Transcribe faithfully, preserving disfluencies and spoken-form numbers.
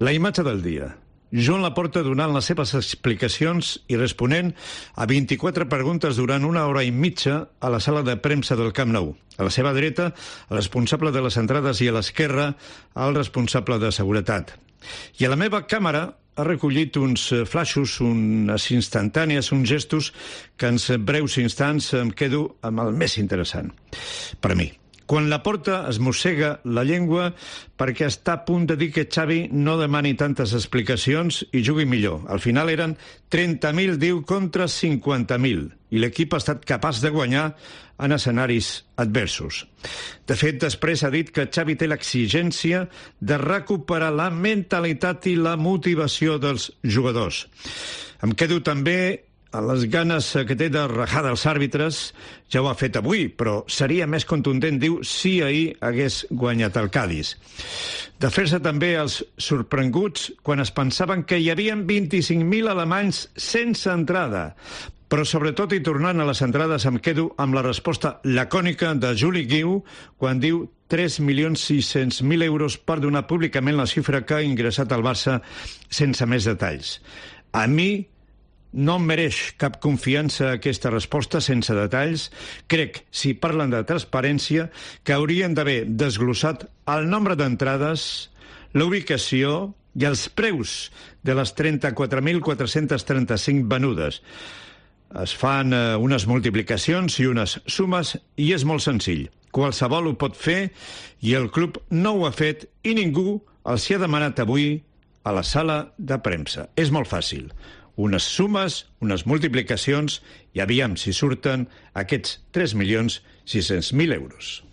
La imatge del dia. Joan Laporta donant les seves explicacions i responent a vint-i-quatre preguntes durant una hora i mitja a la sala de premsa del Camp Nou. A la seva dreta, el responsable de les entrades, i a l'esquerra, el responsable de seguretat. I a la meva càmera ha recollit uns flaixos, unes instantànies, uns gestos que en breus instants em quedo amb el més interessant. Per a mi. Quan Laporta es mossega la llengua perquè està a punt de dir que Xavi no demani tantes explicacions i jugui millor. Al final eren trenta mil, diu, contra cinquanta mil, i l'equip ha estat capaç de guanyar en escenaris adversos. De fet, després ha dit que Xavi té l'exigència de recuperar la mentalitat i la motivació dels jugadors. Em quedo també a les ganes que té de rajar dels àrbitres. Ja ho ha fet avui, però seria més contundent, diu, si ahir hagués guanyat el Cádiz. De fer-se també els sorprenguts quan es pensaven que hi havia vint-i-cinc mil alemanys sense entrada. Però sobretot, i tornant a les entrades, em quedo amb la resposta lacònica de Juli Guiu quan diu tres milions sis-cents mil euros per donar públicament la xifra que ha ingressat al Barça sense més detalls. A mi no em mereix cap confiança aquesta resposta sense detalls. Crec, si parlen de transparència, que haurien d'haver desglossat el nombre d'entrades, la ubicació i els preus de les trenta-quatre mil quatre-cents trenta-cinc venudes. Es fan eh, unes multiplicacions i unes sumes i és molt senzill. Qualsevol ho pot fer i el club no ho ha fet i ningú els hi ha demanat avui a la sala de premsa. És molt fàcil. Unes sumes, unes multiplicacions i aviam si surten aquests tres milions sis-cents mil euros.